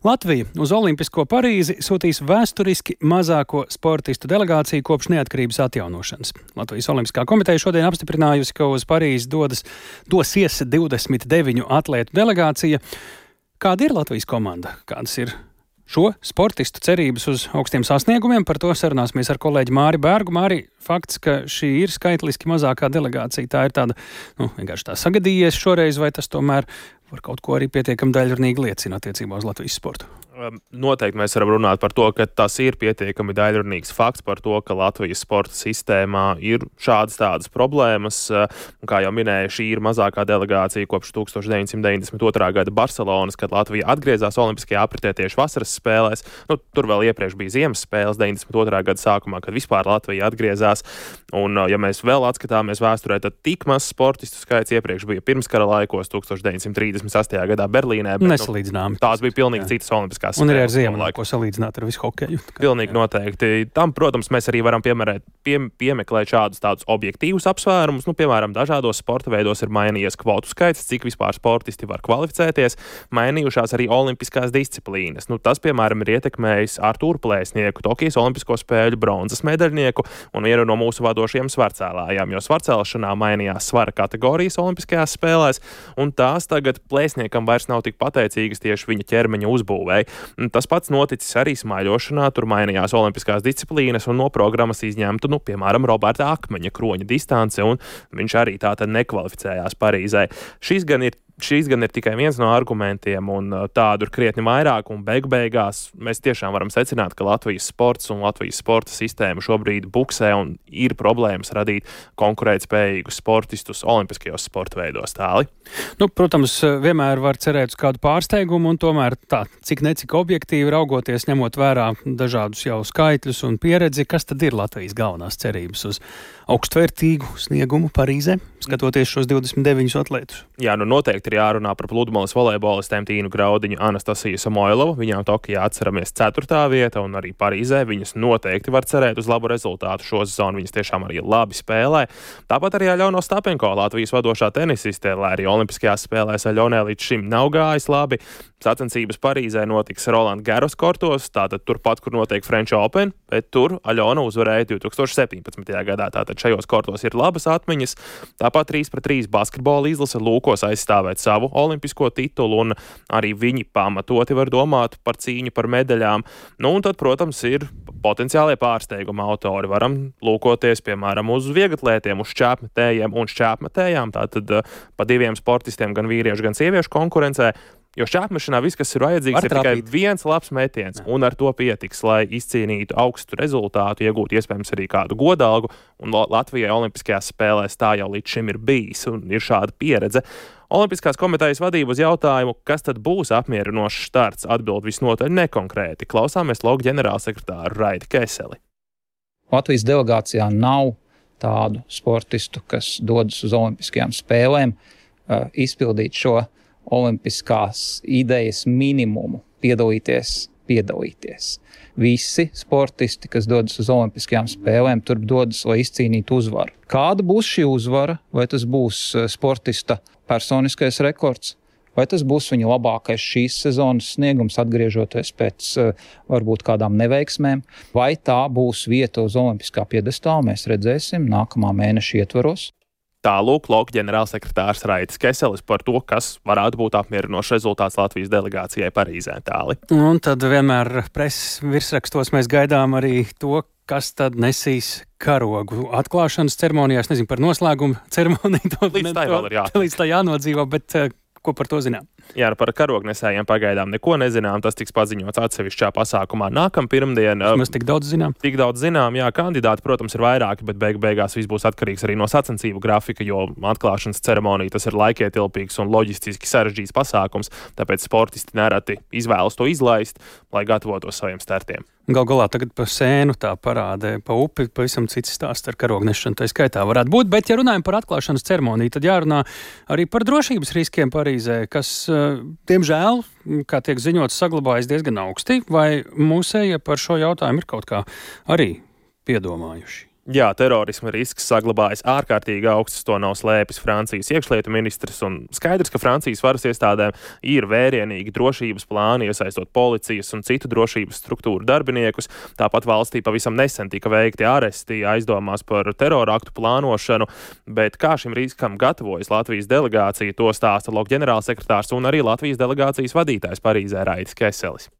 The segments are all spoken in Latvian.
Latvija uz Olimpisko Parīzi sūtīs vēsturiski mazāko sportistu delegāciju kopš neatkarības atjaunošanas. Latvijas Olimpiskā komiteja šodien apstiprinājusi, ka uz Parīzi dosies 29 atlētu delegācija. Kāda ir Latvijas komanda? Kādas ir šo sportistu cerības uz augstiem sasniegumiem? Par to sarunāsimies ar kolēģi Māri Bērgu. Māri, fakts, ka šī ir skaitliski mazākā delegācija, tā ir tāda, vienkārši tā sagadījies šoreiz, vai tas tomēr par kaut ko arī pietiekami daļrunīgi liecina attiecībā uz Latvijas sportu? Noteikti mēs varam runāt par to, ka tas ir pietiekami daļrunīgs fakts par to, ka Latvijas sporta sistēmā ir šādas tādas problēmas. Un, kā jau minēju, šī ir mazākā delegācija kopš 1992. gada Barcelonas, kad Latvija atgriezās Olimpiskajā apritē tieši vasaras spēlēs. Tur vēl iepriekš bija ziemas spēles 92. gada sākumā, kad vispār Latvija atgriezās. Un, ja mēs vēl atskatāmies vēsturē, tad tik maz sportistu skaits iepriekš bija pirmskara laikos 1938. gadā Berlīnē. Nesalīdzināmi. Tās bija pilnīgi citas olimpiskās. Un arī ar ziemu, ko salīdzināt ar visu hokeju. Pilnīgi noteikti. Tam, protams, mēs arī varam piemeklēt šādus tādus objektīvus apsvērumus. Piemēram, dažādos sporta veidos ir mainījies kvotu skaits, cik vispār sportisti var kvalificēties, mainījušās arī olimpiskās disciplīnas. Tas, piemēram, ir ietekmējis Artūru Plēsnieku, Tokijas Olimpisko spēļu bronzas medaļnieku un vienu no mūsu vadošajiem svarcēlājām, jo svarcēlšanā mainījās svara kategorijas olimpiskajās spēlēs, un tās tagad Plēsniekam vairs nav tik pateicīgas tieši viņa ķermeņa uzbūvēi. Tas pats noticis arī smaiļošanā, tur mainījās olimpiskās disciplīnas un no programmas izņemtu, piemēram, Roberta Akmeņa kroņa distance, un viņš arī tātad nekvalificējās Parīzē. Šīs gan ir tikai viens no argumentiem, un tādu ir krietni vairāk, un beigās mēs tiešām varam secināt, ka Latvijas sports un Latvijas sporta sistēma šobrīd buksē un ir problēmas radīt konkurētspējīgus sportistus olimpiskajos sporta veidos. Tāli. Protams, vienmēr var cerēt uz kādu pārsteigumu, un tomēr tā, cik objektīvi raugoties, ņemot vērā dažādus jau skaitļus un pieredzi, kas tad ir Latvijas galvenās cerības uz augstvērtīgu sniegumu Parīzē, skatoties šos 29 atlētus? Jā, noteikti ir jārunā par pludmales volejbolistēm Tīnu Graudiņu, Anastasiju Samoilovu. Viņām Tokijā atceramies 4. vieta, un arī Parīzē viņas noteikti var cerēt uz labu rezultātu šo sezonu. Viņas tiešām arī labi spēlē. Tāpat arī Aļona Ostapenko, Latvijas vadošā tenisiste, lai arī olimpiskajās spēlēs Aļonai līdz šim nav gājis labi. Sacensības Parīzē notiks Roland Garros kortos, tātad turpat, kur notiek French Open, bet tur Aļona uzvarēja 2017. gadā. Tātad šajos kortos ir labas atmiņas. Tāpat 3-3 basketbola izlase lūkos aizstāvēt savu olimpisko titulu, un arī viņi pamatoti var domāt par cīņu par medaļām. Un tad, protams, ir potenciālie pārsteiguma autori. Varam lūkoties, piemēram, uz vieglatlētiem, uz šķēpmetējiem un šķēpmetējām. Tātad pa diviem sportistiem, gan vīriešu, gan sieviešu konkurencē. Jo šķēpmešanā viss, kas ir vajadzīgs, ir tikai viens labs metiens, un ar to pietiks, lai izcīnītu augstu rezultātu, iegūtu iespējams arī kādu godalgu, un Latvijai olimpiskajās spēlēs tā jau līdz šim ir bijis, un ir šāda pieredze. Olimpiskās komitejas vadība uz jautājumu, kas tad būs apmierinošs starts, atbild visnotaļ nekonkrēti. Klausāmies logu ģenerālsekretāru Raidi Keseli. Latvijas delegācijā nav tādu sportistu, kas dodas uz olimpiskajām spēlēm, izpildīt šo olimpiskās idejas minimumu, piedalīties. Visi sportisti, kas dodas uz olimpiskajām spēlēm, tur dodas, lai izcīnītu uzvaru. Kāda būs šī uzvara? Vai tas būs sportista personiskais rekords? Vai tas būs viņa labākais šīs sezonas sniegums, atgriežoties pēc varbūt kādām neveiksmēm? Vai tā būs vieta uz olimpiskā piedestāla? Mēs redzēsim nākamā mēneša ietvaros. Tālūk logu ģenerālsekretārs Raidis Keselis par to, kas varētu būt apmierinošs rezultāts Latvijas delegācijai Parīzē. Tāli. Un tad vienmēr preses virsrakstos mēs gaidām arī to, kas tad nesīs karogu atklāšanas ceremonijā. Es nezinu par noslēgumu ceremoniju. Līdz tā jānodzīvo, bet ko par to zinām? Jā, par karognesējiem pagaidām neko nezinām. Tas tiks paziņots atsevišķā pasākumā nākamā pirmdien. Mēs tik daudz zinām. Jā, kandidāti, protams, ir vairāki, bet beigās viss būs atkarīgs arī no sacensību grafika, jo atklāšanas ceremonija tas ir laikietilpīgs un loģistiski sarežģīts pasākums, tāpēc sportisti nereti izvēlas to izlaist, lai gatavotos saviem startiem. Gal galā tagad pa sēnu tā parādē, pa upi, pavisam cits stāsts ar karognešanu, tā skaitā varētu būt, bet ja runājam par atklāšanas ceremoniju, tad jārunā arī par drošības riskiem Parīzē, kas, diemžēl, kā tiek ziņots, saglabājas diezgan augsti, vai mūsējie par šo jautājumu ir kaut kā arī piedomājuši? Jā, terorisma risks saglabājas ārkārtīgi augsts, to nav slēpis Francijas iekšlietu ministrs, un skaidrs, ka Francijas varas iestādēm ir vērienīgi drošības plāni, iesaistot policijas un citu drošības struktūru darbiniekus. Tāpat valstī pavisam nesen tika veikti aresti aizdomās par terora aktu plānošanu, bet kā šim riskam gatavojas Latvijas delegācija, to stāsta LOK ģenerālsekretārs un arī Latvijas delegācijas vadītājs Parīzē Raidis Keselis.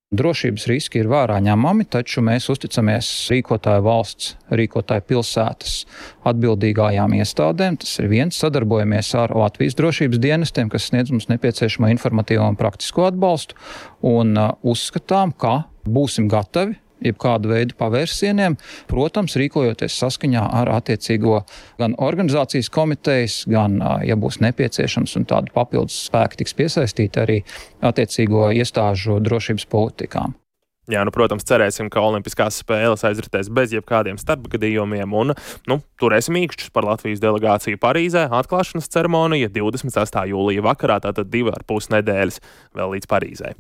Drošības riski ir vērā ņemami, taču mēs uzticamies rīkotāju valsts, rīkotāju pilsētas atbildīgajām iestādēm. Tas ir viens, sadarbojamies ar Latvijas drošības dienestiem, kas sniedz mums nepieciešamo informatīvo un praktisko atbalstu, un uzskatām, ka būsim gatavi jebkādu veidu pavērsieniem, protams, rīkojoties saskaņā ar attiecīgo gan organizācijas komitejas, gan, ja būs nepieciešams un tādu papildus spēku tiks piesaistīti arī attiecīgo iestāžu drošības politikām. Jā, protams, cerēsim, ka Olimpiskās spēles aizritēs bez jebkādiem starpgadījumiem un, turēsim īkšķus par Latvijas delegāciju Parīzē. Atklāšanas ceremonija 28. jūlija vakarā, tātad 2,5 nedēļas vēl līdz Parīzē.